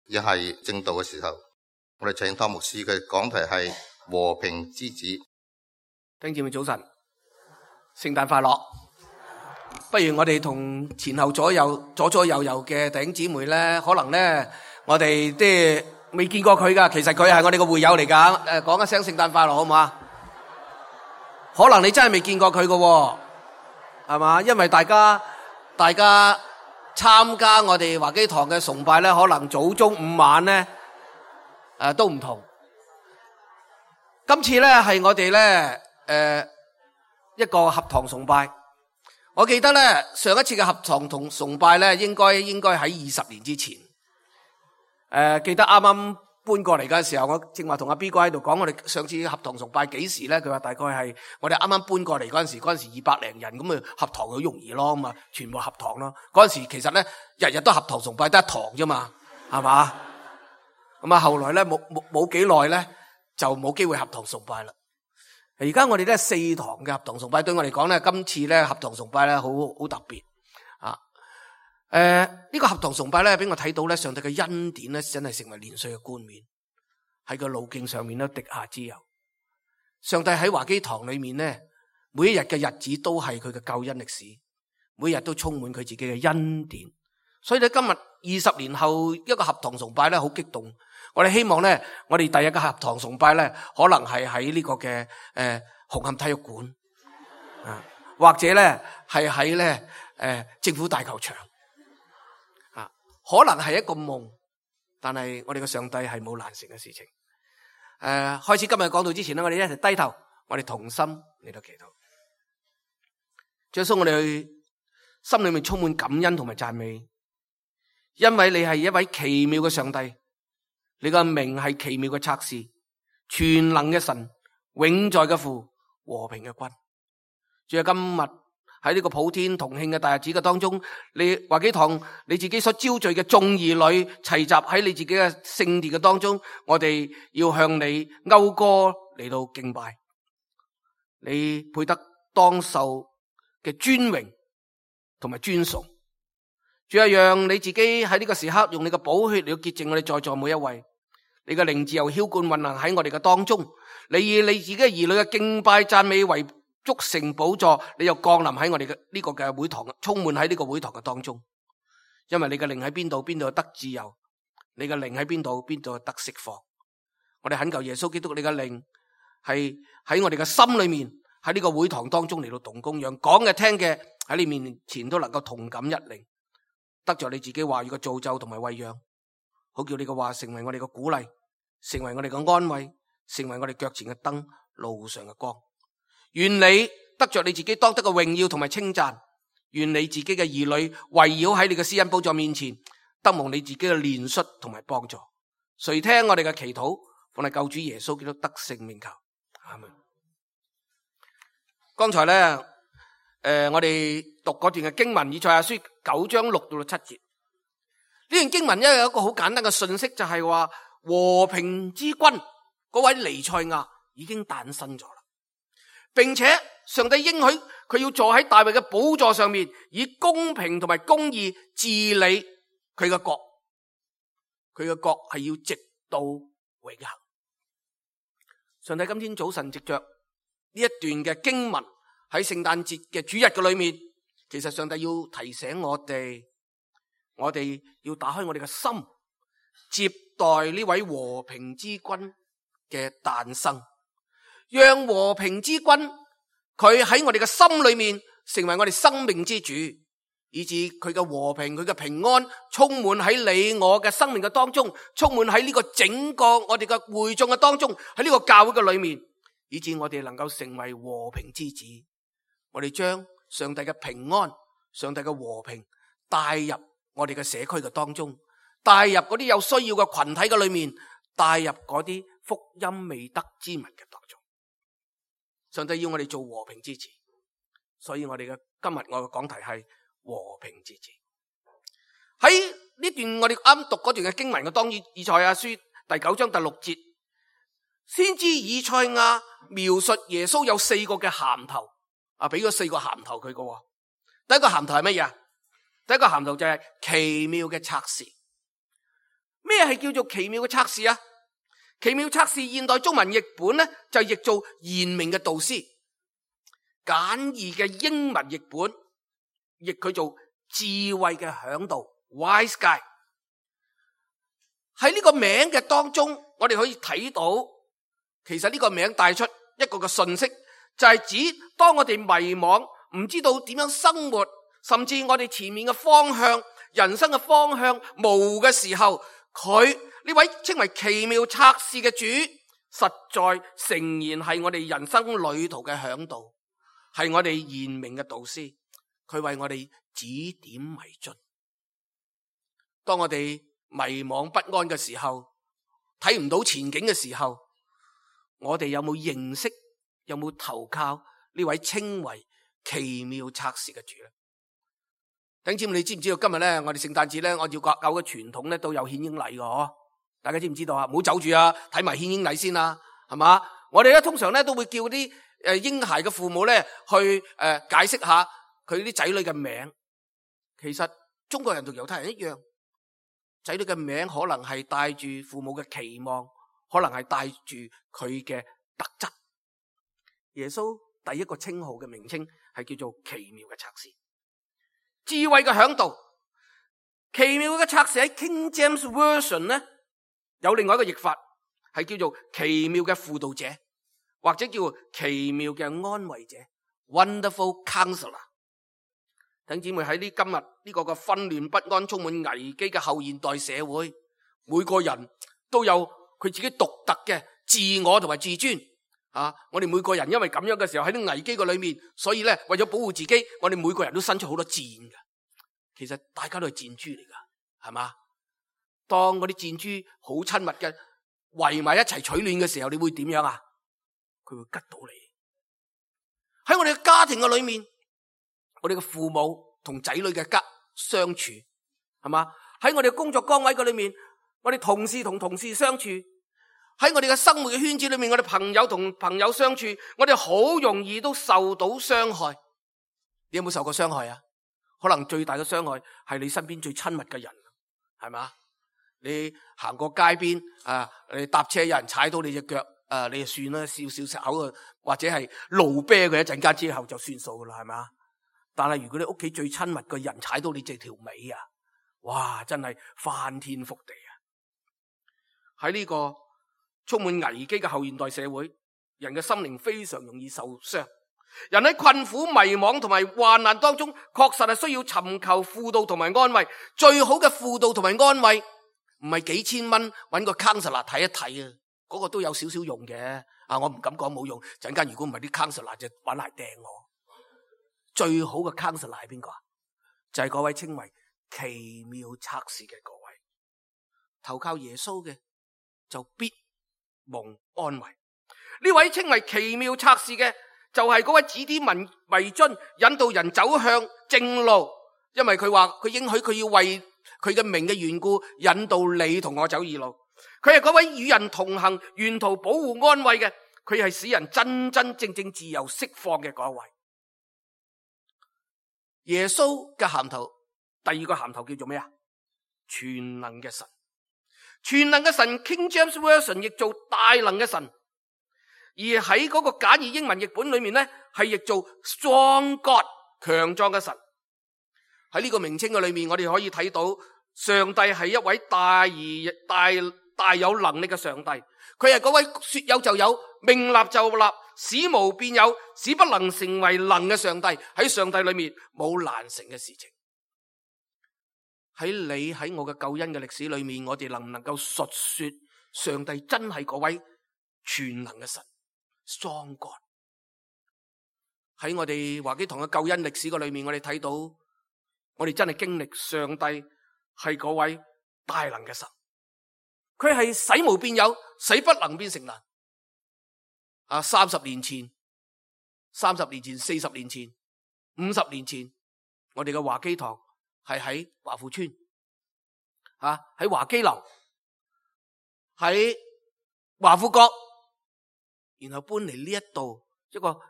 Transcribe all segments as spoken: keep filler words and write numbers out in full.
亦係正道嘅時候，我哋請湯牧師嘅講題係和平之子。弟兄姊妹早晨，聖誕快樂！不如我哋同前後左右左左右右嘅弟兄姊妹咧，可能咧我哋即係未見過佢噶，其實佢係我哋個會友嚟噶。誒，講一聲聖誕快樂好唔好啊？可能你真係未見過佢噶，係嘛？因為大家大家參加我哋華基堂嘅崇拜咧，可能早中午晚咧誒都唔同。今次咧係我哋咧誒一個合堂崇拜。我記得咧上一次嘅合堂同崇拜咧，應該應該喺二十年之前。誒、呃，記得啱啱搬過嚟嘅時候，我正話同阿 B 哥喺度講，我哋上次合堂崇拜幾時咧？佢話大概係我哋啱啱搬過嚟嗰陣時，嗰陣時二百零人，咁啊合堂好容易咯，咁啊全部合堂咯。嗰陣時其實咧日日都合堂崇拜，得一堂啫嘛，係嘛？咁啊後來咧冇冇冇幾耐咧就冇機會合堂崇拜啦。而家我哋咧四堂嘅合堂崇拜，對我嚟講咧，今次咧合堂崇拜咧好好特別啊！誒、呃，呢、這個合堂崇拜咧，俾我睇到咧，上帝嘅恩典咧，真係成為年歲嘅冠冕，喺個路徑上面咧，滴下之油。上帝喺華基堂裏面咧，每一日嘅日子都係佢嘅救恩歷史，每日都充滿佢自己嘅恩典。所以咧，今日二十年後一個合堂崇拜咧，好激動。我哋希望咧，我哋第一個合堂崇拜咧，可能係喺呢個嘅誒、呃、紅磡體育館啊，或者咧係喺咧誒政府大球場啊，可能係一個夢，但係我哋嘅上帝係冇難成嘅事情。誒、呃，開始今日講道之前咧，我哋一齊低頭，我哋同心嚟到祈禱。主耶穌，我哋心裏面充滿感恩同埋讚美，因為你係一位奇妙嘅上帝。你個名係奇妙嘅策士，全能嘅神，永在嘅父，和平嘅君。仲有今日喺呢個普天同慶嘅大日子嘅當中，你華基堂你自己所招聚嘅眾兒女齊集喺你自己嘅聖殿嘅當中，我哋要向你謳歌嚟到敬拜。你配得當受嘅尊榮同埋尊崇。主要讓你自己喺呢個時刻用你嘅寶血嚟到潔淨我哋在座每一位。你嘅靈自由澆灌運行喺我哋嘅當中，你以你自己嘅兒女嘅敬拜讚美為築成寶座，你又降臨喺我哋嘅呢個嘅會堂，充滿喺呢個會堂嘅當中。因為你嘅靈喺邊度，邊度得自由；你嘅靈喺邊度，邊度得釋放。我哋懇求耶穌基督，你嘅靈係喺我哋嘅心裏面，喺呢個會堂當中嚟到動工，讓講嘅聽嘅喺你面前都能夠同感一靈，得着你自己話語嘅造就同埋餵養。好叫你嘅話成為我哋嘅鼓勵，成為我哋嘅安慰，成為我哋腳前嘅燈，路上嘅光。願你得着你自己當得嘅榮耀同埋稱讚，願你自己嘅兒女圍繞喺你嘅施恩寶座面前，得蒙你自己嘅憐恤同埋幫助。垂聽我哋嘅祈禱，奉你救主耶穌基督得勝名求，阿門。剛才咧，誒、呃，我哋讀嗰段嘅經文，以賽亞書九章六到七節。呢段經文咧有一個好簡單嘅信息，就係話和平之君嗰位彌賽亞已經誕生咗啦，並且上帝應許佢要坐喺大衛嘅寶座上面，以公平同埋公義治理佢嘅國，佢嘅國係要直到永恆。上帝今天早晨藉着呢一段嘅經文喺聖誕節嘅主日嘅裏面，其實上帝要提醒我哋。我哋要打開我哋嘅心，接待呢位和平之君嘅誕生，讓和平之君佢喺我哋嘅心裏面成為我哋生命之主，以致佢嘅和平、佢嘅平安充滿喺你我嘅生命嘅當中，充滿喺呢個整個我哋嘅會眾嘅當中，喺呢個教會嘅裏面，以致我哋能夠成為和平之子。我哋將上帝嘅平安、上帝嘅和平帶入我哋嘅社區嘅當中，帶入嗰啲有需要嘅群體嘅裏面，帶入嗰啲福音未得之民嘅當中。上帝要我哋做和平之子，所以我哋嘅今日我嘅講題係和平之子。喺呢段我哋啱讀嗰段嘅經文嘅當中，以賽亞書第九章第六節，先知以賽亞描述耶穌有四個嘅銜頭，啊，俾咗四個銜頭佢嘅。第一個銜頭係乜嘢？第一個銜頭就係奇妙嘅策士。咩咩係叫做奇妙嘅策士啊？奇妙策士現代中文譯本咧就譯做賢明嘅導師，簡易嘅英文譯本譯佢做智慧嘅嚮導 wise guy。 喺呢個名嘅當中，我哋可以睇到，其實呢個名帶出一個嘅信息，就係指當我哋迷惘，唔知道點樣生活，甚至我哋前面嘅方向、人生嘅方向模糊嘅時候，佢呢位稱為奇妙策士嘅主，實在誠然係我哋人生旅途嘅嚮導，係我哋賢明嘅導師，佢為我哋指點迷津。當我哋迷惘不安嘅時候，睇唔到前景嘅時候，我哋有冇認識，有冇投靠呢位稱為奇妙策士嘅主咧？弟兄姊妹，你知唔知道今日咧，我哋聖誕節咧，按照國教嘅傳統咧，都有獻嬰禮嘅嗬？大家知唔知道啊？唔好走住啊，睇埋獻嬰禮先啦，係嘛？我哋咧通常咧都會叫啲誒嬰孩嘅父母咧去誒解釋下佢啲仔女嘅名。其實中國人同猶太人一樣，仔女嘅名可能係帶住父母嘅期望，可能係帶住佢嘅特質。耶穌第一個稱號嘅名稱係叫做奇妙嘅策士，智慧嘅嚮導。奇妙嘅策士喺 King James Version 咧有另外一個譯法，係叫做奇妙嘅輔導者，或者叫奇妙嘅安慰者 Wonderful Counselor。 弟兄姊妹，喺呢今日呢個嘅紛亂不安、充滿危機嘅後現代社會，每個人都有佢自己獨特嘅自我同埋自尊啊！我哋每個人因為咁樣嘅時候喺啲危機嘅裏面，所以咧為咗保護自己，我哋每個人都伸出好多箭㗎。其實大家都係箭豬嚟㗎，係嘛？當嗰啲箭豬好親密嘅圍埋一齊取暖嘅時候，你會點樣啊？佢會吉到你。喺我哋嘅家庭嘅裏面，我哋嘅父母同仔女嘅家相處，係嘛？喺我哋嘅工作崗位嘅裏面，我哋同事同同事相處，喺我哋嘅生活嘅圈子裏面，我哋朋友同朋友相處，我哋好容易都受到傷害。你有冇受過傷害啊？可能最大嘅傷害係你身邊最親密嘅人，係嘛？你行過街邊啊，你搭車有人踩到你隻腳，啊，你就算啦，笑笑食口啊，或者係怒啤佢一陣間之後就算數噶啦，係嘛？但係如果你屋企最親密嘅人踩到你這條尾啊，哇，真係翻天覆地啊！喺呢個充滿危機嘅後現代社會，人嘅心靈非常容易受傷。人喺困苦、迷惘同埋患難當中，確實係需要尋求輔導同埋安慰。最好嘅輔導同埋安慰，唔係幾千蚊揾個 counselor 睇一睇啊，嗰個都有少少用嘅。啊，我唔敢講冇用，陣間如果唔係啲 counselor 就揾嚟掟我。最好嘅 counselor 係邊個啊？就係嗰位稱為奇妙策士嘅各位。投靠耶穌嘅就必蒙安慰。呢位稱為奇妙策士嘅，就係嗰位指點迷迷津，引導人走向正路。因為佢話佢應許佢要為佢嘅名嘅緣故，引導你同我走義路。佢係嗰位與人同行、沿途保護安慰嘅。佢係使人真真正正自由釋放嘅嗰位。耶穌嘅銜頭，第二個銜頭叫做咩啊？全能嘅神。全能嘅神 King James Version 譯做大能嘅神，而喺嗰個簡易英文譯本裏面咧，係譯做 Strong God 強壯嘅神。喺呢個名稱嘅裏面，我哋可以睇到上帝係一位大而大大有能力嘅上帝。佢係嗰位說有就有、命立就立、使無變有、使不能成為能嘅上帝。喺上帝裏面冇難成嘅事情。喺你喺我嘅救恩嘅歷史裏面，我哋能唔能夠述說上帝真係嗰位全能嘅神 Strong God？ 喺我哋華基堂嘅救恩歷史嘅裏面，我哋睇到我哋真係經歷上帝係嗰位大能嘅神。佢係使無變有，使不能變成難。啊，三十年前、三十年前、四十年前、五十年前，我哋嘅華基堂係喺華富村，啊喺華基樓，喺華富閣，然後搬嚟呢一度一個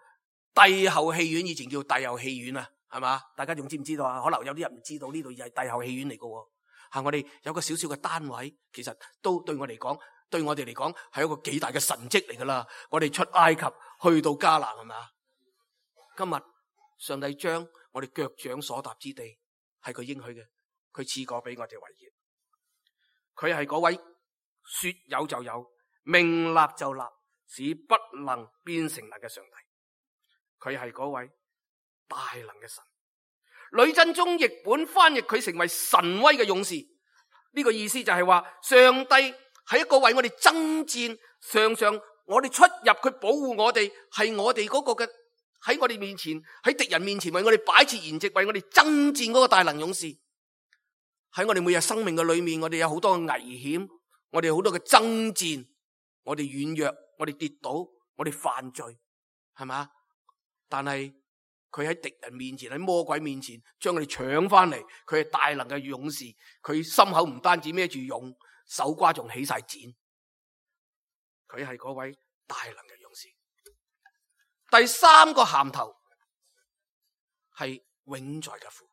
帝后戲院，以前叫帝后戲院啊，係嘛？大家仲知唔知道啊？可能有啲人唔知道呢度係帝后戲院嚟嘅。吓，我哋有個小小嘅單位，其實都對我嚟講，對我哋嚟講係一個幾大嘅神蹟嚟噶啦。我哋出埃及去到迦南，係咪啊？今日上帝將我哋腳掌所踏之地係佢應許嘅，佢賜過俾我哋為業。佢係嗰位說有就有，命立就立，使不能變成能嘅上帝。佢係嗰位大能嘅神。呂振中譯本翻譯佢成為神威嘅勇士，呢個意思就係話上帝係一個為我哋爭戰，常常我哋出入佢保護我哋，係我哋嗰個嘅喺我哋面前，喺敵人面前為我哋擺設筵席，為我哋爭戰嗰個大能勇士。喺我哋每日生命嘅裏面，我哋有好多嘅危險，我哋好多嘅爭戰，我哋軟弱，我哋跌倒，我哋犯罪，係咪？但係佢喺敵人面前，喺魔鬼面前將我哋搶翻嚟，佢係大能嘅勇士，佢心口唔單止孭住勇，手瓜仲起晒剪，佢係嗰位大能嘅勇士。第三個銜頭係永在嘅父。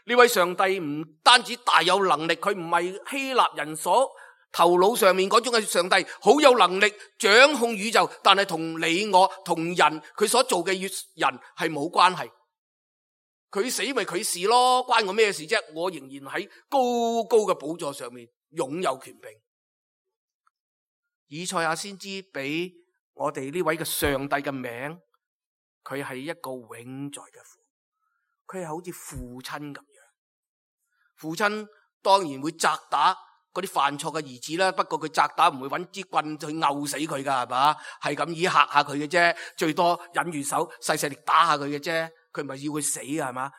呢位上帝唔單止大有能力，佢唔係希臘人所頭腦上面嗰種嘅上帝，好有能力掌控宇宙，但係同你我同人佢所做嘅人係冇關係。佢死咪佢事咯，關我咩事啫？我仍然喺高高嘅寶座上面擁有權柄。以賽亞先知俾我哋呢位嘅上帝嘅名，佢係一個永在嘅父，佢係好似父親咁樣。父親當然會責打嗰啲犯錯嘅兒子啦，不過佢責打唔會揾支棍去毆死佢噶，係嘛？係咁以嚇下佢嘅啫，最多忍住手細細力打下佢嘅啫，佢唔係要佢死啊，係嘛？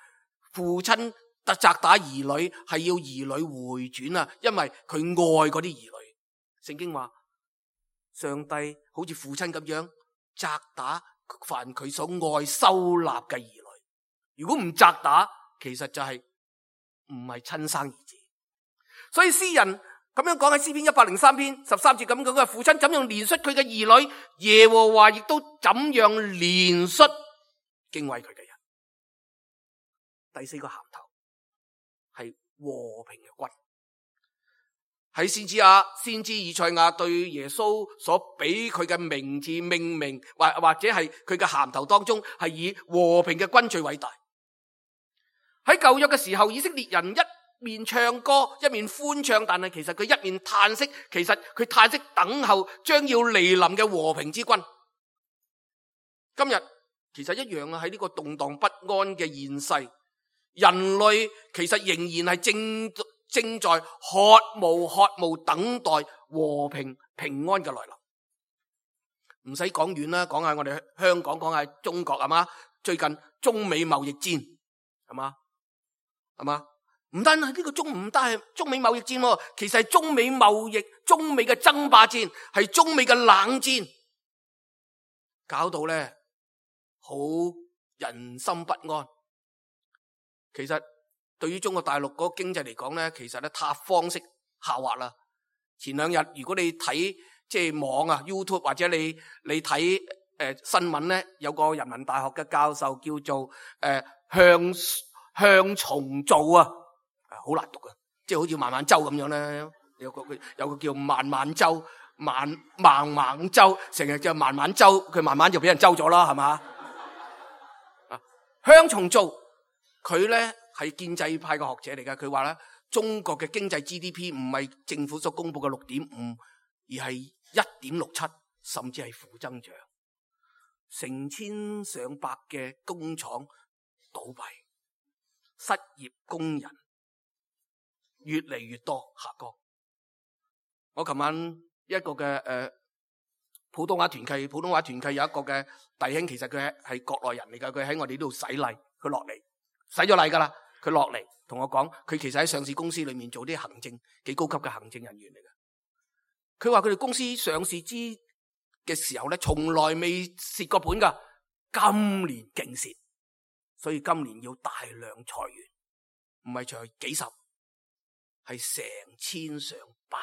父親特責打兒女係要兒女回轉啊，因為佢愛嗰啲兒女。聖經話上帝好似父親咁樣責打凡佢所愛收納嘅兒女，如果唔責打，其實就係唔係親生兒子。所以詩人咁樣講喺詩篇一百零三篇十三節咁講嘅，父親怎樣憐恤佢嘅兒女，耶和華亦都怎樣憐恤敬畏佢嘅人。第四個銜頭係和平嘅君。喺先知亞先知以賽亞對耶穌所俾佢嘅名字命名，或或者係佢嘅銜頭當中，係以和平嘅君最偉大。喺舊約嘅時候，以色列人一面唱歌一面歡唱，但係其實佢一面嘆息，其實佢嘆息等候將要嚟臨嘅和平之君。今日其實一樣啊，喺呢個動盪不安嘅現世，人類其實仍然係正正在渴慕渴慕等待和平平安嘅來臨。唔使講遠啦，講下我哋香港，講下中國，係嘛？最近中美貿易戰，係嘛？係嘛？唔單係呢個中唔單係中美貿易戰，其實係中美貿易、中美嘅爭霸戰，係中美嘅冷戰，搞到咧好人心不安。其實對於中國大陸嗰個經濟嚟講咧，其實咧塌方式下滑啦。前兩日如果你睇即係網啊 YouTube 或者你你睇誒、呃、新聞咧，有個人民大學嘅教授叫做誒、呃、向向重造啊，好難讀啊，即係好似孟晚舟咁樣咧，有個有個叫孟晚舟、孟孟孟舟，成日叫孟晚舟，佢慢慢就俾人周咗啦，係嘛？啊，向重造佢咧係建制派嘅學者嚟噶，佢話咧中國嘅經濟 G D P 唔係政府所公布嘅六點五，而係一點六七，甚至係負增長，成千上百嘅工廠倒閉。失業工人越嚟越多下降。我琴晚一個嘅誒、呃、普通話團契，普通話團契有一個嘅弟兄，其實佢係係國內人嚟噶，佢喺我哋呢度洗禮，佢落嚟洗咗禮噶啦，佢落嚟同我講，佢其實喺上市公司裏面做啲行政，幾高級嘅行政人員嚟噶。佢話佢哋公司上市之嘅時候咧，從來未蝕過本噶，今年勁蝕。所以今年要大量裁員，唔係裁幾十，係成千上百。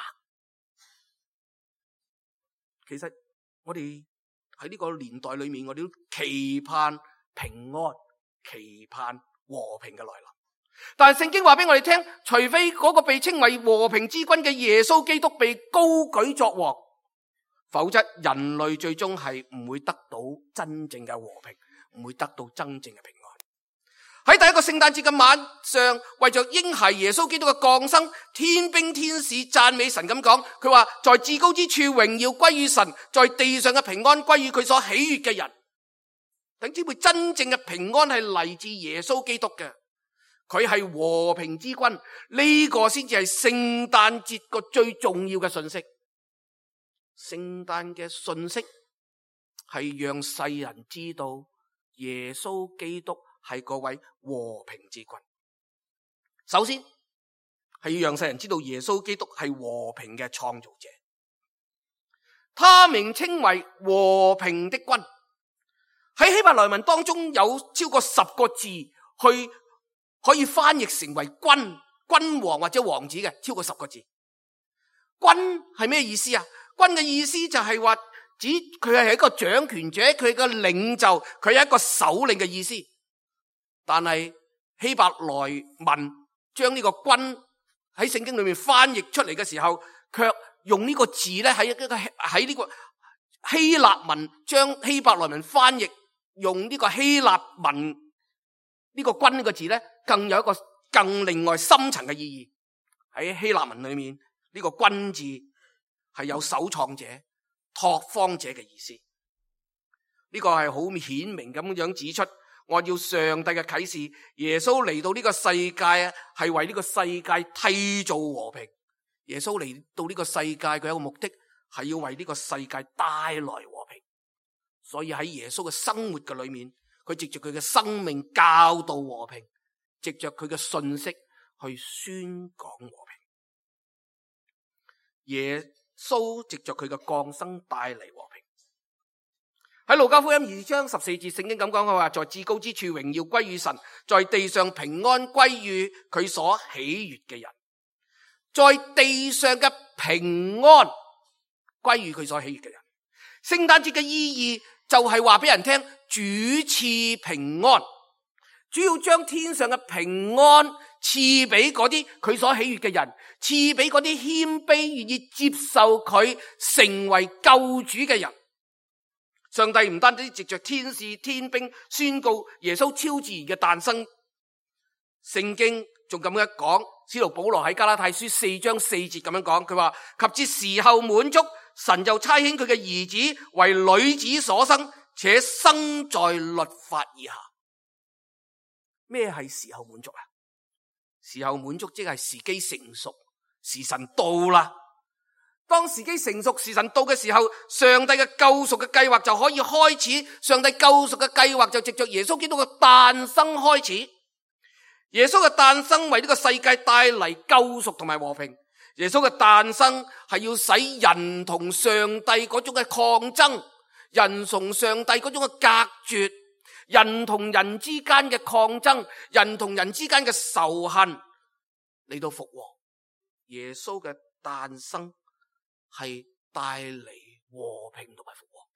其實我哋喺呢個年代裏面，我哋都期盼平安，期盼和平嘅來臨。但係聖經話俾我哋聽，除非嗰個被稱為和平之君嘅耶穌基督被高舉作王，否則人類最終係唔會得到真正嘅和平，唔會得到真正嘅平安。喺第一個聖誕節嘅晚上，為着嬰孩耶穌基督嘅降生，天兵天使讚美神咁講，佢話在至高之處榮耀歸於神，在地上嘅平安歸於佢所喜悅嘅人。等知會真正嘅平安係嚟自耶穌基督嘅，佢係和平之君，呢個先至係聖誕節個最重要嘅信息。聖誕嘅信息係讓世人知道耶穌基督係嗰位和平之君。首先係要讓世人知道耶穌基督係和平嘅創造者，他名稱為和平的君。喺希伯來文當中有超過十個字去可以翻譯成為君、君王或者王子嘅，超過十個字。君係咩意思啊？君嘅意思就係話指佢係一個掌權者，佢係個領袖，佢係一個首領嘅意思。但係希伯來文將呢個君喺聖經裏面翻譯出嚟嘅時候，卻用呢個字咧喺一個喺呢個希臘文將希伯來文翻譯用呢個希臘文呢個君呢個字咧，更有一個更另外深層嘅意義。喺希臘文裏面呢個君字係有首創者、拓荒者嘅意思。呢個係好顯明咁樣指出，按照上帝嘅啟示，耶穌嚟到呢個世界係為呢個世界締造和平。耶穌嚟到呢個世界佢有一個目的係要為呢個世界帶來和平。所以喺耶穌嘅生活嘅裏面，佢藉着佢嘅生命教導和平，藉着佢嘅信息去宣講和平。耶穌藉着佢嘅降生帶嚟和平。喺路加福音二章十四節，聖經咁講，佢話在至高之處榮耀歸於神，在地上平安歸於佢所喜悅嘅人。在地上嘅平安歸於佢所喜悅嘅人。聖誕節嘅意義就係話俾人聽，主賜平安，主要將天上嘅平安賜俾嗰啲佢所喜悅嘅人，賜俾嗰啲謙卑願意接受佢成為救主嘅人。上帝唔單止藉着天使天兵宣告耶穌超自然嘅誕生，聖經仲咁樣講，使徒保羅喺加拉太書四章四節咁樣講，佢話及至時候滿足，神就差遣佢嘅兒子為女子所生，且生在律法以下。咩係時候滿足啊？時候滿足即係時機成熟，時辰到啦。當時機成熟，時辰到嘅時候，上帝嘅救贖嘅計劃就可以開始。上帝救贖嘅計劃就藉着耶穌基督嘅誕生開始。耶穌嘅誕生為呢個世界帶嚟救贖同埋和平。耶穌嘅誕生係要使人同上帝嗰種嘅抗爭，人同上帝嗰種嘅隔絕，人同人之間嘅抗爭，人同人之間嘅仇恨嚟到復和。耶穌嘅誕生係帶嚟和平同埋復和。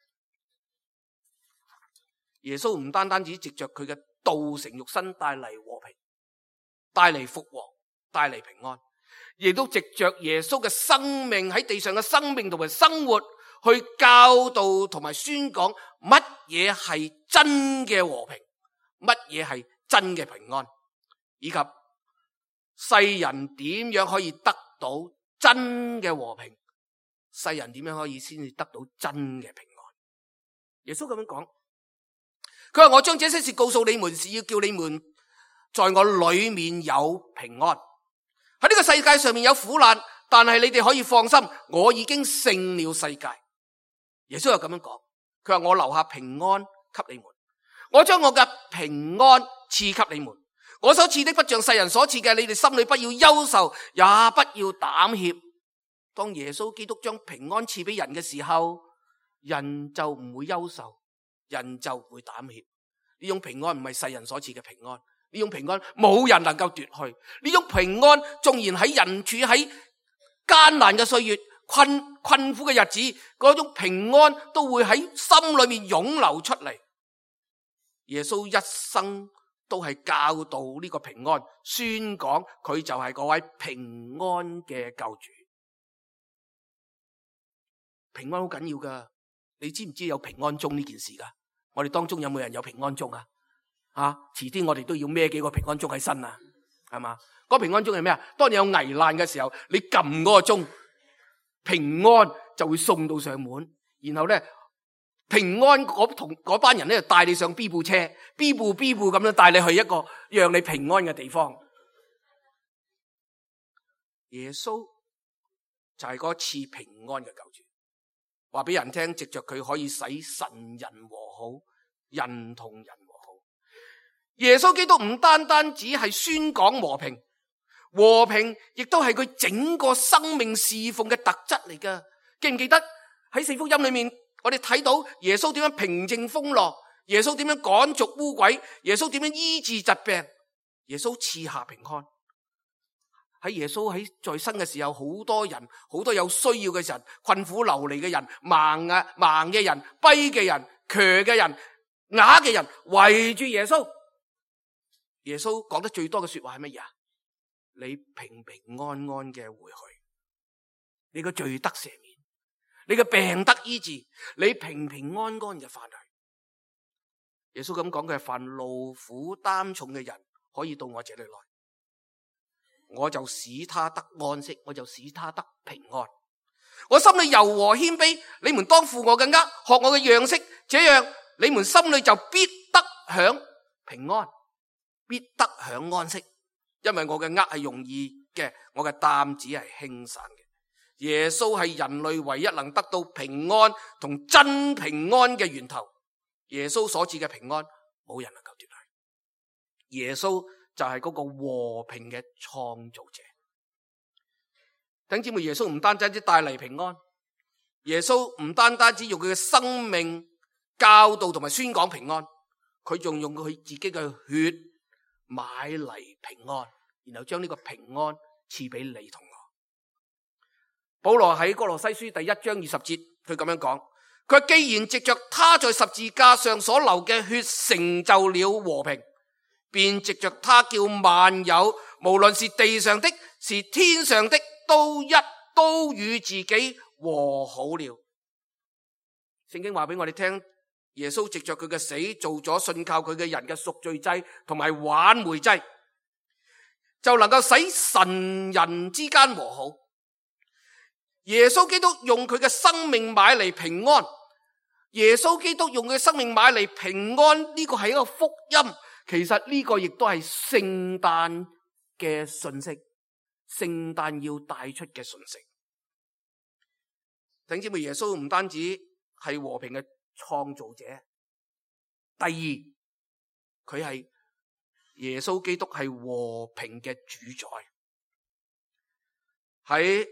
耶穌唔單單只藉着佢嘅道成肉身帶嚟和平，帶嚟復和，帶嚟平安，亦都藉着耶穌嘅生命喺地上嘅生命同埋生活去教導同埋宣講乜嘢係真嘅和平，乜嘢係真嘅平安，以及世人點樣可以得到真嘅和平，世人點樣可以先至得到真嘅平安。耶穌咁樣講，佢話我將這些事告訴你們，是要叫你們在我裏面有平安。喺呢個世界上面有苦難，但係你哋可以放心，我已經勝了世界。耶穌又咁樣講，佢話我留下平安給你們，我將我嘅平安賜給你們，我所賜的不像世人所賜嘅，你哋心裏不要憂愁，也不要膽怯。當耶穌基督將平安賜俾人嘅時候，人就唔會憂愁，人就唔會膽怯。呢種平安唔係世人所賜嘅平安，呢種平安冇人能夠奪去。呢種平安縱然喺人處喺艱難嘅歲月、困困苦嘅日子，嗰種平安都會喺心裏面湧流出嚟。耶穌一生都係教導呢個平安，宣講佢就係嗰位平安嘅救主。平安好緊要噶，你知唔知有平安鐘呢件事噶？我哋當中有冇人有平安鐘啊？啊，遲啲我哋都要孭幾個平安鐘喺身啊，係嘛？嗰平安鐘係咩啊？當你有危難嘅時候，你撳嗰個鐘，平安就會送到上門，然後咧平安嗰同嗰班人咧就帶你上 B 部車 ，B 部 B 部咁樣帶你去一個讓你平安嘅地方。耶穌就係嗰次平安嘅救主，話俾人聽，藉着佢可以使神人和好，人同人和好。耶穌基督唔單單只係宣講和平，和平亦都係佢整個生命侍奉嘅特質嚟噶。記唔記得喺四福音裏面，我哋睇到耶穌點樣平靜風浪，耶穌點樣趕逐污鬼，耶穌點樣醫治疾病，耶穌賜下平安。喺耶穌喺在生嘅時候，好多人，好多有需要嘅人，困苦流離嘅人，盲啊盲嘅人，跛嘅人，瘸嘅人，啞嘅人圍住耶穌。耶穌講得最多嘅說話係乜嘢啊？你平平安安嘅回去，你個罪得赦免，你個病得醫治，你平平安安嘅翻去。耶穌咁講，佢係凡勞苦擔重嘅人可以到我這裏來，我就使他得安息，我就使他得平安。我心裏柔和謙卑，你們當負我嘅軛，學我嘅樣式，這樣你們心裏就必得享平安，必得享安息。因為我嘅軛係容易嘅，我嘅擔子係輕省嘅。耶穌係人類唯一能得到平安同真平安嘅源頭。耶穌所賜嘅平安，冇人能夠奪去。耶穌就係嗰個和平嘅創造者。弟兄姊妹，耶穌唔單單只帶嚟平安，耶穌唔單單只用佢嘅生命教導同埋宣講平安，佢仲用佢自己嘅血買嚟平安，然後將呢個平安賜俾你同我。保羅喺哥羅西書第一章二十節，佢咁樣講，佢話既然藉着他在十字架上所流嘅血成就了和平，便藉着他叫萬有，無論是地上的，是天上的，都一都與自己和好了。聖經話俾我哋聽，耶穌藉着佢嘅死做咗信靠佢嘅人嘅贖罪祭同埋挽回祭，就能夠使神人之間和好。耶穌基督用佢嘅生命買嚟平安，耶穌基督用佢嘅生命買嚟平安，呢個係一個福音。其實呢個亦都係聖誕嘅信息，聖誕要帶出嘅信息。弟兄姊妹，耶穌唔單止係和平嘅創造者，第二，佢係耶穌基督係和平嘅主宰。喺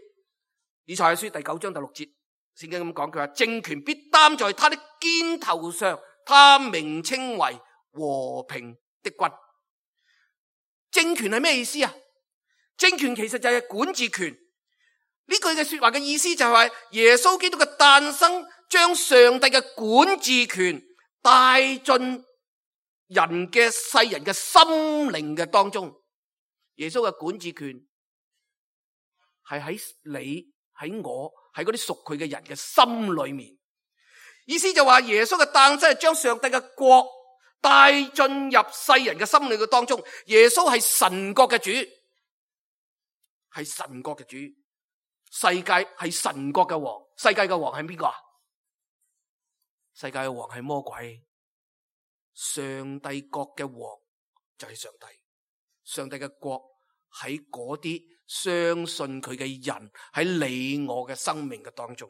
以賽亞書第九章第六節，聖經咁講，佢話政權必擔在他的肩頭上，他名稱為和平的君。政權係咩意思啊？政權其實就係管治權。呢句嘅說話嘅意思就係話耶穌基督嘅誕生，將上帝嘅管治權帶進人嘅世人嘅心靈嘅當中。耶穌嘅管治權係喺你喺我喺嗰啲屬佢嘅人嘅心裏面。意思就話耶穌嘅誕生係將上帝嘅國帶進入世人嘅心裏嘅當中。耶穌係神國嘅主，係神國嘅主。世界係神國嘅王，世界嘅王係邊個啊？世界嘅王係魔鬼。上帝國嘅王就係上帝。上帝嘅國喺嗰啲相信佢嘅人，喺你我嘅生命嘅當中。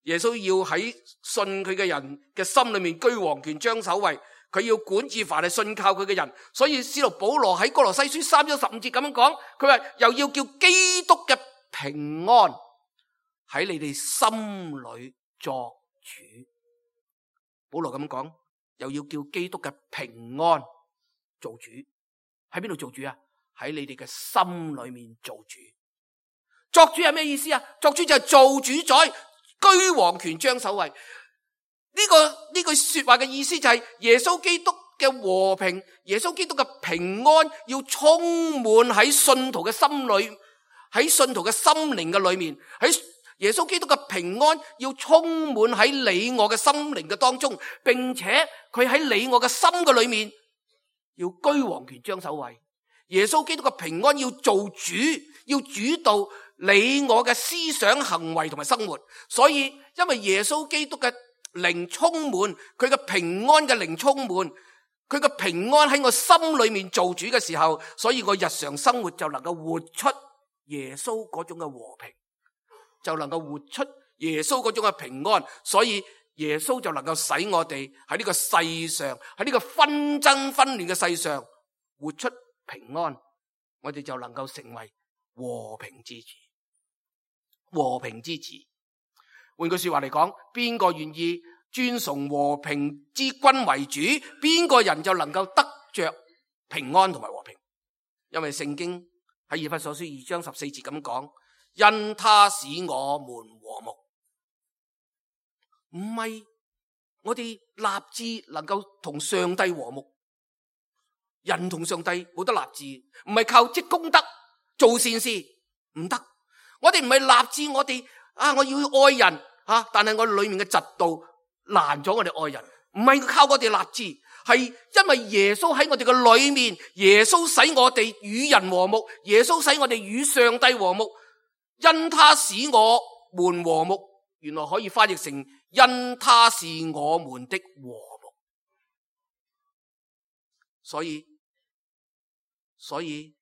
耶穌要喺信佢嘅人嘅心裏面居王權掌首位，佢要管治凡係信靠佢嘅人。所以使徒保羅喺哥羅西書三章十五節咁樣講，佢話又要叫基督嘅平安喺你哋心裏作主。保羅咁講，又要叫基督嘅平安做主。喺邊度做主啊？喺你哋嘅心裏面做主。作主係咩意思啊？作主就係做主宰，居王權掌首位。呢、這個呢句說話嘅意思就係耶穌基督嘅和平，耶穌基督嘅平安要充滿喺信徒嘅心裏，喺信徒嘅心靈嘅裏面，喺耶穌基督嘅平安要充滿喺你我嘅心靈嘅當中，並且佢喺你我嘅心嘅裏面要居王權掌首位。耶穌基督嘅平安要做主，要主導你我嘅思想行為同埋生活。所以因為耶穌基督嘅靈充滿，佢嘅平安嘅靈充滿，佢嘅平安喺我心裏面做主嘅時候，所以我日常生活就能夠活出耶穌嗰種嘅和平，就能夠活出耶穌嗰種嘅平安。所以耶穌就能夠使我哋喺呢個世上，喺呢個紛爭紛亂嘅世上活出平安，我哋就能夠成為和平之子。和平之子，換句說話嚟講，邊個願意尊崇和平之君為主，邊個人就能夠得着平安同埋和平。因為聖經喺以弗所書二章十四節咁講，因他使我們和睦。唔係我哋立志能夠同上帝和睦，人同上帝冇得立志，唔係靠積功德做善事，唔得。我哋唔係立志我哋啊，我要愛人啊，但係我裏面嘅嫉妒攔咗我哋愛人，唔係靠我哋立志，係因為耶穌喺我哋嘅裏面，耶穌使我哋與人和睦，耶穌使我哋與上帝和睦，因他使我們和睦，原來可以翻譯成因他是我們的和睦。所以所以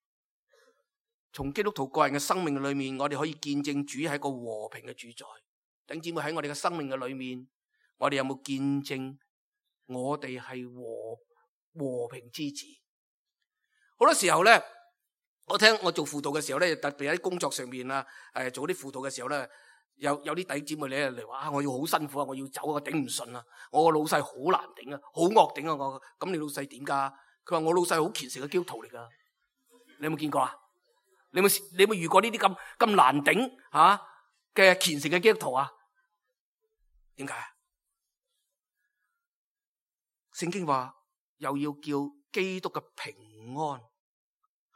從基督徒個人嘅生命裏面，我哋可以見證主係一個和平嘅主宰。弟兄姊妹，喺我哋嘅生命嘅裏面，我哋有冇見證我哋係和和平之子？好多時候咧，我聽我做輔導嘅時候咧，特別喺工作上面啊，誒做啲輔導嘅時候咧，有有啲弟兄姊妹咧嚟話啊，我要好辛苦啊，我要走啊，我頂唔順啊，我個老細好難頂啊，好惡頂啊，我咁你老細點噶？佢話我老細好虔誠嘅基督徒嚟噶，你有冇見過啊？你有冇你有冇遇過呢啲咁咁難頂吓嘅虔誠嘅基督徒啊？點解啊？聖經話又要叫基督嘅平安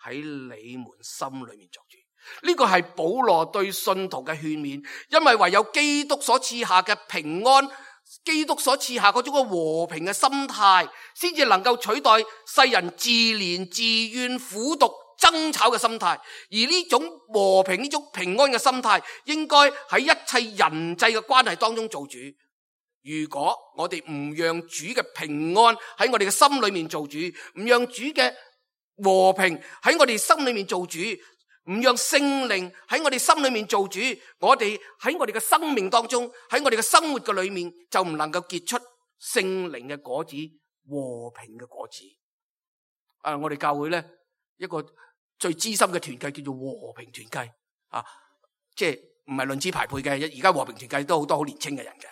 喺你們心裏面作主，呢個係保羅對信徒嘅勸勉，因為唯有基督所賜下嘅平安，基督所賜下嗰種嘅和平嘅心態，先至能夠取代世人自憐自怨苦毒爭吵嘅心態。而呢種和平呢種平安嘅心態，應該喺一切人際嘅關係當中做主。如果我哋唔讓主嘅平安喺我哋嘅心裏面做主，唔讓主嘅和平喺我哋心裏面做主，唔讓聖靈喺我哋心裏面做主，我哋喺我哋嘅生命當中，喺我哋嘅生活嘅裏面，就唔能夠結出聖靈嘅果子，和平嘅果子。啊，我哋教會咧一個最資深嘅團契叫做和平團契啊，即係唔係論資排輩嘅，而家和平團契都好多好年輕嘅人嘅。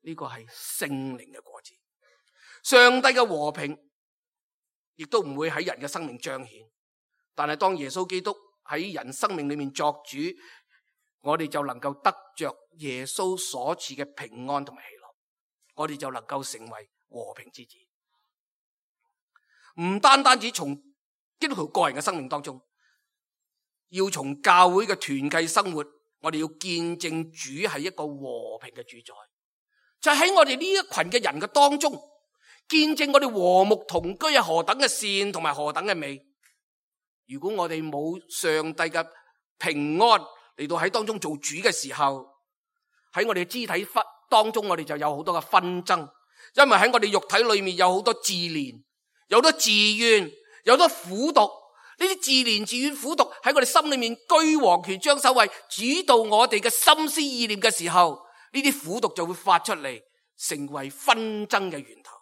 呢個係聖靈嘅果子，上帝嘅和平亦都唔會喺人嘅生命彰顯，但係當耶穌基督喺人生命裏面作主，我哋就能夠得着耶穌所賜嘅平安同埋喜樂，我哋就能夠成為和平之子。唔單單只從基督徒個人嘅生命當中，要從教會嘅團契生活，我哋要見證主係一個和平嘅主宰。就喺我哋呢一群嘅人嘅當中，見證我哋和睦同居係何等嘅善同埋何等嘅美。如果我哋冇上帝嘅平安嚟到喺當中做主嘅時候，喺我哋嘅肢體當中，我哋就有好多嘅紛爭，因為喺我哋肉體裏面有好多自憐，有好多自怨，有好多苦毒。呢啲自憐自怨苦毒喺我哋心裏面居王權掌首位，主導我哋嘅心思意念嘅時候，呢啲苦毒就會發出嚟，成為紛爭嘅源頭。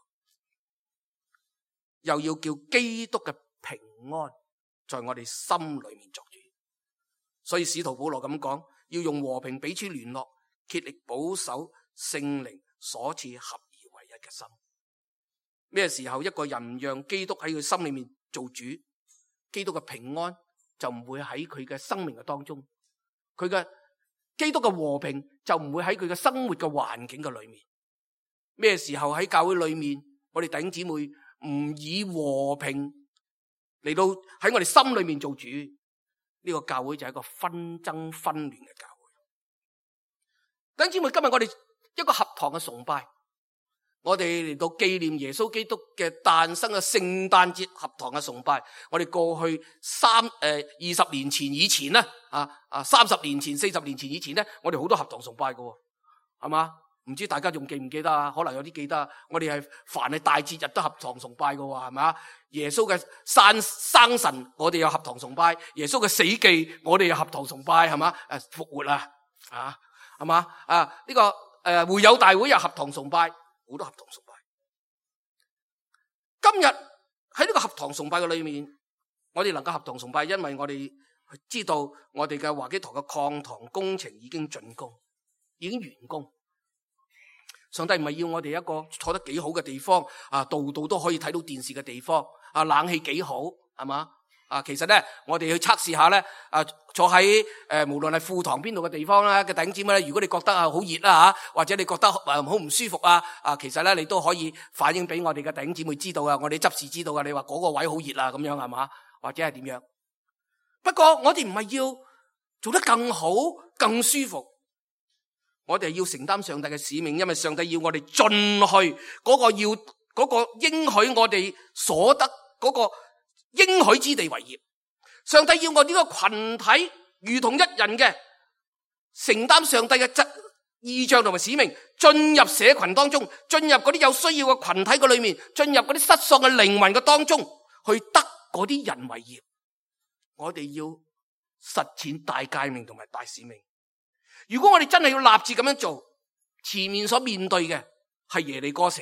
又要叫基督嘅平安在我哋心裏面作主。所以使徒保羅咁講，要用和平彼此聯絡，竭力保守聖靈所賜合而為一嘅心。咩時候一個人唔讓基督喺佢心裏面做主，基督嘅平安就唔會喺佢嘅生命嘅當中，佢嘅基督嘅和平就唔會喺佢嘅生活嘅環境嘅裏面。咩時候喺教會裏面我哋弟兄姊妹唔以和平嚟到喺我哋心裏面做主，呢個教會就係一個紛爭紛亂嘅教會。弟兄姊妹，今日我哋一個合堂嘅崇拜，我哋嚟到紀念耶穌基督嘅誕生嘅聖誕節合堂嘅崇拜。我哋過去三誒二十年前以前咧，啊啊三十年前、四十年前以前咧，我哋好多合堂崇拜嘅，係嘛？唔知大家仲記唔記得啊？可能有啲記得。我哋係凡係大節日都合堂崇拜嘅，係嘛？耶穌嘅生生辰，我哋有合堂崇拜；耶穌嘅死忌，我哋有合堂崇拜，係嘛？誒，復活啊，啊，係嘛？啊，呢、這個誒、呃、會友大會有合堂崇拜，好多合堂崇拜。今日喺呢個合堂崇拜嘅裏面，我哋能夠合堂崇拜，因為我哋知道我哋嘅華基堂嘅擴堂工程已經竣工，已經完工。上帝唔係要我哋一個坐得幾好嘅地方，啊，度度都可以睇到電視嘅地方，啊，冷氣幾好，係嘛？啊，其實咧，我哋去測試下咧，啊，坐喺誒、呃，無論係副堂邊度嘅地方咧嘅頂尖咧，如果你覺得啊好熱啦吓，或者你覺得誒好唔舒服啊，啊，其實咧你都可以反映俾我哋嘅頂姊妹知道啊，我哋執事知道啊，你話嗰個位好熱啊，咁樣係嘛？或者係點樣？不過我哋唔係要做得更好、更舒服。我哋要承擔上帝嘅使命，因為上帝要我哋進去嗰個要嗰個應許我哋所得嗰個應許之地為業。上帝要我呢個群體如同一人嘅承擔上帝嘅質意象同埋使命，進入社群當中，進入嗰啲有需要嘅群體嘅裏面，進入嗰啲失喪嘅靈魂嘅當中，去得嗰啲人為業。我哋要實踐大誡命同埋大使命。如果我哋真係要立志咁樣做，前面所面對嘅係耶利哥城，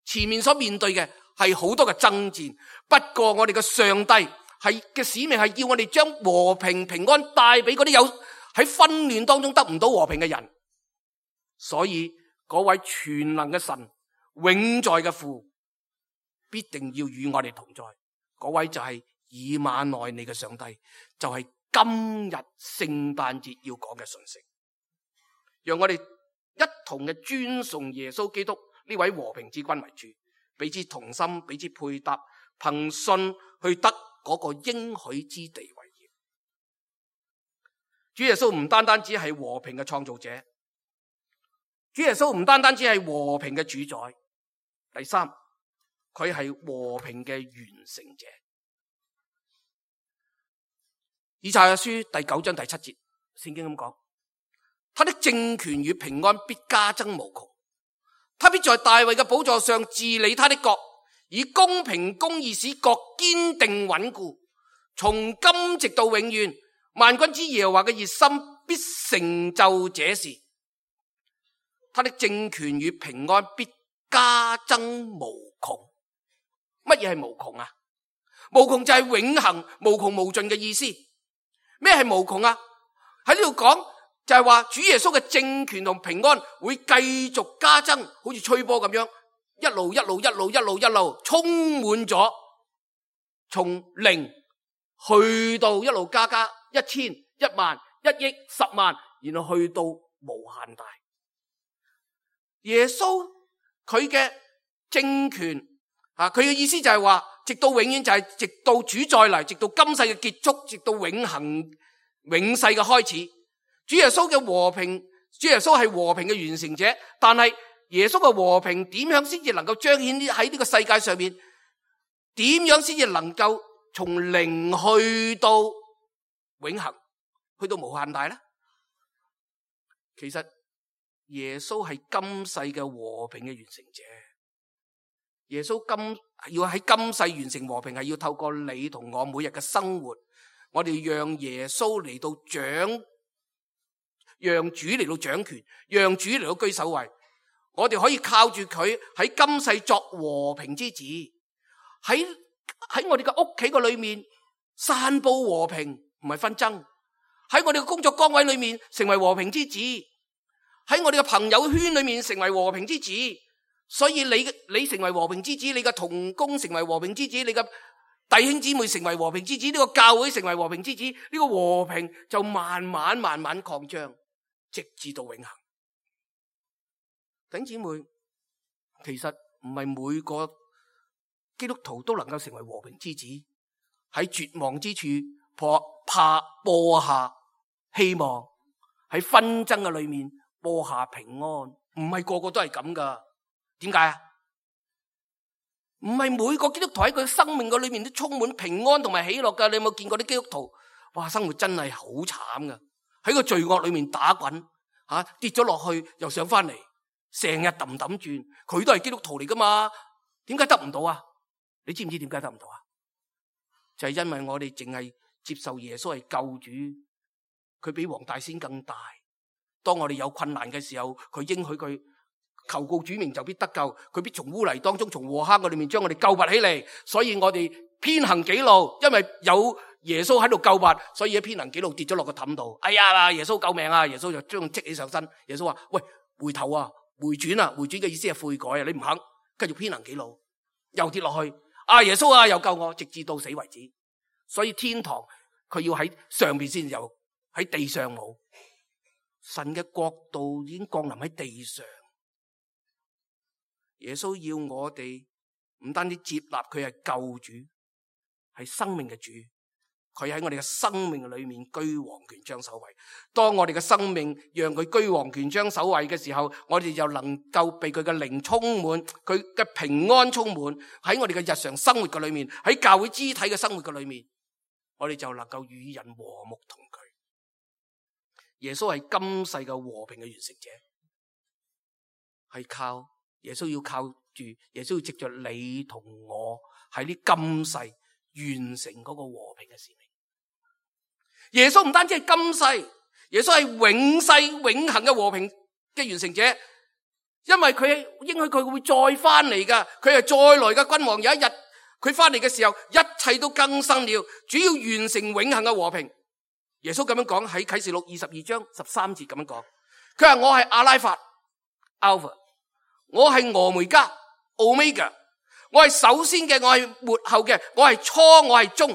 前面所面對嘅係好多嘅爭戰。不過我哋嘅上帝係嘅使命係要我哋將和平平安帶俾嗰啲有喺紛亂當中得唔到和平嘅人。所以嗰位全能嘅神，永在嘅父，必定要與我哋同在。嗰位就係以馬內利嘅上帝，就係今日聖誕節要講嘅信息。讓我哋一同嘅尊崇耶穌基督呢位和平之君為主，彼此同心，彼此配搭，憑信去得嗰個應許之地為業。主耶穌唔單單只係和平嘅創造者，主耶穌唔單單只係和平嘅主宰，第三，佢係和平嘅完成者。以賽亞書第九章第七節，聖經咁講。他的政權與平安必加增無窮，他必在大衛嘅寶座上治理他的國，以公平公義使國堅定穩固，從今直到永遠。萬軍之耶和華嘅熱心必成就這事。他的政權與平安必加增無窮。乜嘢係無窮啊？無窮就係永恆無窮無盡嘅意思。咩係無窮啊？喺呢度講就係話主耶穌嘅政權同平安會繼續加增，好似吹波咁樣，一路一路一路一路一路充滿咗，從零去到一路加加一千一萬一億十萬，然後去到無限大。耶穌佢嘅政權啊，佢嘅意思就係話，直到永遠就係直到主再嚟，直到今世嘅結束，直到永恆永世嘅開始。主耶穌嘅和平，主耶穌係和平嘅完成者，但係耶穌嘅和平點樣先至能夠彰顯喺呢個世界上面？點樣先至能夠從零去到永恆，去到無限大呢？其實耶穌係今世嘅和平嘅完成者。耶穌今要喺今世完成和平，係要透過你同我每日嘅生活，我哋讓耶穌嚟到掌。讓主嚟到掌權，讓主嚟到居首位，我哋可以靠住佢喺今世作和平之子，喺喺我哋嘅屋企個裏面散布和平，唔係紛爭；喺我哋嘅工作崗位裏面成為和平之子，喺我哋嘅朋友圈裏面成為和平之子。所以你你成為和平之子，你嘅同工成為和平之子，你嘅弟兄姊妹成為和平之子，呢個教會成為和平之子，呢個和平就慢慢慢慢擴張。直至到永恆。弟兄姊妹，其實唔係每個基督徒都能夠成為和平之子，喺絕望之處破怕播下希望，喺紛爭嘅裏面播下平安，唔係個個都係咁噶。點解啊？唔係每個基督徒喺佢生命嘅裏面都充滿平安同埋喜樂噶。你有冇見過啲基督徒？哇，生活真係好慘噶，喺個罪惡裏面打滾，吓、啊、跌咗落去又上翻嚟，成日揼揼轉。佢都係基督徒嚟噶嘛？點解得唔到啊？你知唔知點解得唔到啊？就係因為我哋淨係接受耶穌係救主，佢比黃大仙更大。當我哋有困難嘅時候，佢應許佢求告主名就必得救，佢必從污泥當中從禍坑嘅裏面將我哋救拔起嚟。所以我哋偏行己路，因為有耶穌喺度救拔，所以喺偏行己路跌咗落個氹度。哎呀，耶穌救命啊！耶穌就將佢積起上身。耶穌話：喂，回頭啊，回轉啊！回轉嘅意思係悔改啊！你唔肯，繼續偏行己路，又跌落去。啊，耶穌啊，又救我，直至到死為止。所以天堂佢要喺上邊先有，喺地上冇。神嘅國度已經降臨喺地上。耶穌要我哋唔單止接納佢係救主，係生命嘅主，佢喺我哋嘅生命裏面居王權將首位。當我哋嘅生命讓佢居王權將首位嘅時候，我哋就能夠被佢嘅靈充滿，佢嘅平安充滿喺我哋嘅日常生活嘅裏面，喺教會肢體嘅生活嘅裏面，我哋就能夠與人和睦同居。耶穌係今世嘅和平嘅完成者，係靠耶穌要靠住耶穌要藉着你同我喺呢今世完成嗰個和平嘅使命。耶穌唔單止係今世，耶穌係永世永恆嘅和平嘅完成者，因為佢應許佢會再翻嚟噶，佢係再來嘅君王。有一日佢翻嚟嘅時候，一切都更新了，主要完成永恆嘅和平。耶穌咁樣講喺啟示錄二十二章十三節咁樣講，佢話我係阿拉法 Alpha， 我係俄梅加 Omega， 我係首先嘅，我係末後嘅，我係初，我係終。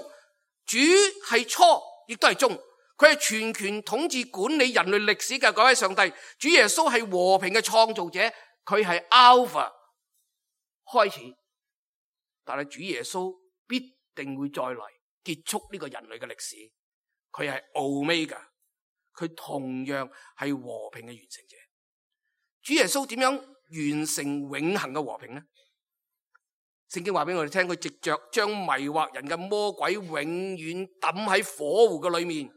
主係初亦都係終，佢係全權統治管理人類歷史嘅嗰位上帝。主耶穌係和平嘅創造者，佢係 Alpha 開始，但係主耶穌必定會再嚟結束呢個人類嘅歷史。佢係 Omega， 佢同樣係和平嘅完成者。主耶穌點樣完成永恆嘅和平呢？聖經話俾我哋聽，佢藉着將迷惑人嘅魔鬼永遠抌喺火湖嘅裏面，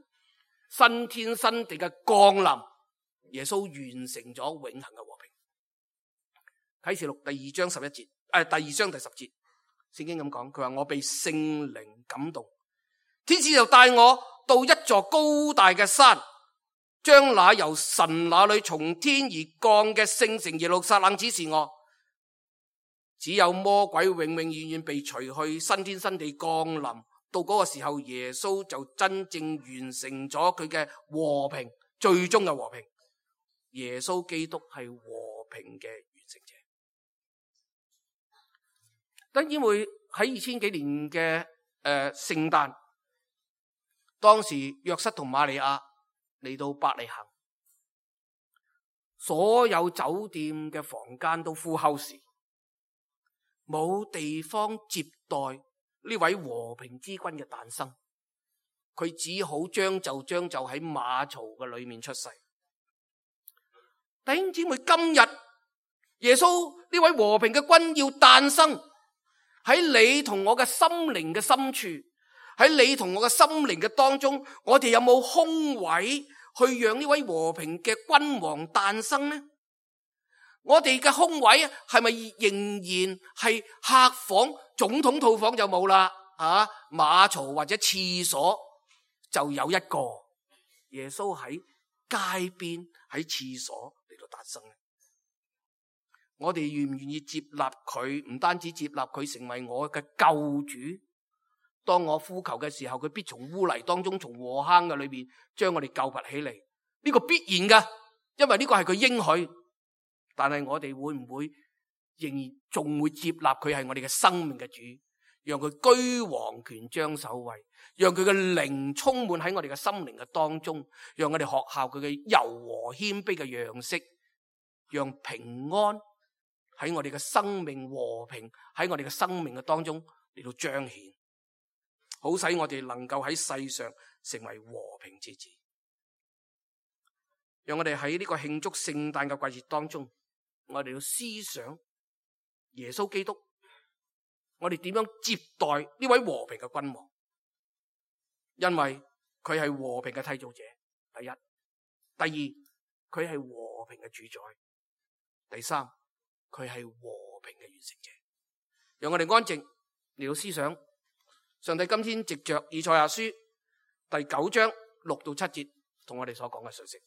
新天新地嘅降臨，耶穌完成咗永恆嘅和平。啟示錄第二章十一節，誒、呃，第二章第十節，聖經咁講，佢話我被聖靈感動，天使就帶我到一座高大嘅山，將那由神那裏從天而降嘅聖城耶路撒冷指示我。只有魔鬼永永遠遠被除去，新天新地降臨。到嗰個時候，耶穌就真正完成咗佢嘅和平，最終嘅和平。耶穌基督係和平嘅完成者。當然會喺二千幾年嘅誒聖誕，當時約瑟同瑪利亞嚟到伯利恆，所有酒店嘅房間都 full house，冇地方接待呢位和平之君嘅誕生，佢只好將就將就喺馬槽嘅裏面出世。弟兄姊妹，今日耶穌呢位和平嘅君要誕生喺你同我嘅心靈嘅深處，喺你同我嘅心靈嘅當中，我哋有冇空位去讓呢位和平嘅君王誕生呢？我哋嘅空位係咪仍然係客房、總統套房就冇啦？啊，馬槽或者廁所就有一個。耶穌喺街邊喺廁所嚟到誕生。我哋願唔願意接納佢？唔單止接納佢成為我嘅救主，當我呼求嘅時候，佢必從污泥當中、從禍坑嘅裏邊將我哋救拔起嚟。呢個必然噶，因為呢個係佢應許。但係我哋會唔會仍然仲會接納佢係我哋嘅生命嘅主，讓佢居王權將首位，讓佢嘅靈充滿喺我哋嘅心靈嘅當中，讓我哋學效佢嘅柔和謙卑嘅樣式，讓平安喺我哋嘅生命和平，喺我哋嘅生命嘅當中嚟到彰顯，好使我哋能夠喺世上成為和平之子。讓我哋喺呢個慶祝聖誕嘅季節當中，我哋要思想耶穌基督，我哋點樣接待呢位和平嘅君王？因為佢係和平嘅締造者，第一；第二，佢係和平嘅主宰；第三，佢係和平嘅完成者。讓我哋安靜嚟到思想上帝今天藉着以賽亞書第九章六到七節同我哋所講嘅信息。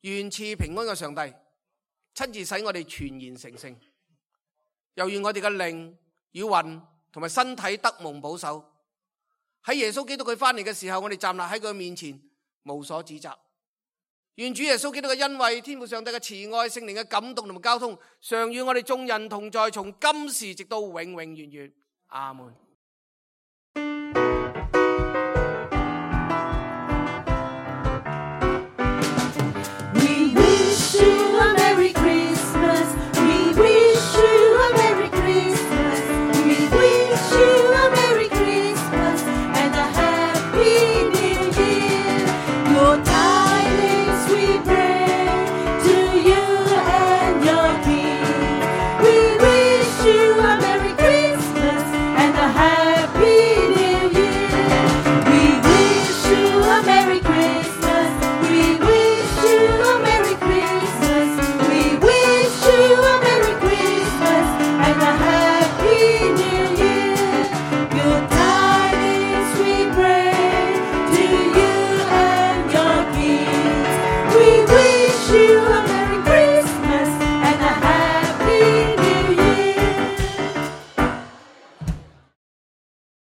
願賜平安嘅上帝親自使我哋全然成聖，又願我哋嘅靈與魂同埋身體得蒙保守。喺耶穌基督佢翻嚟嘅時候，我哋站立喺佢面前無所指責。願主耶穌基督嘅恩惠、天父上帝嘅慈愛、聖靈嘅感動同埋交通，常與我哋眾人同在，從今時直到永永遠遠。阿門。And a you have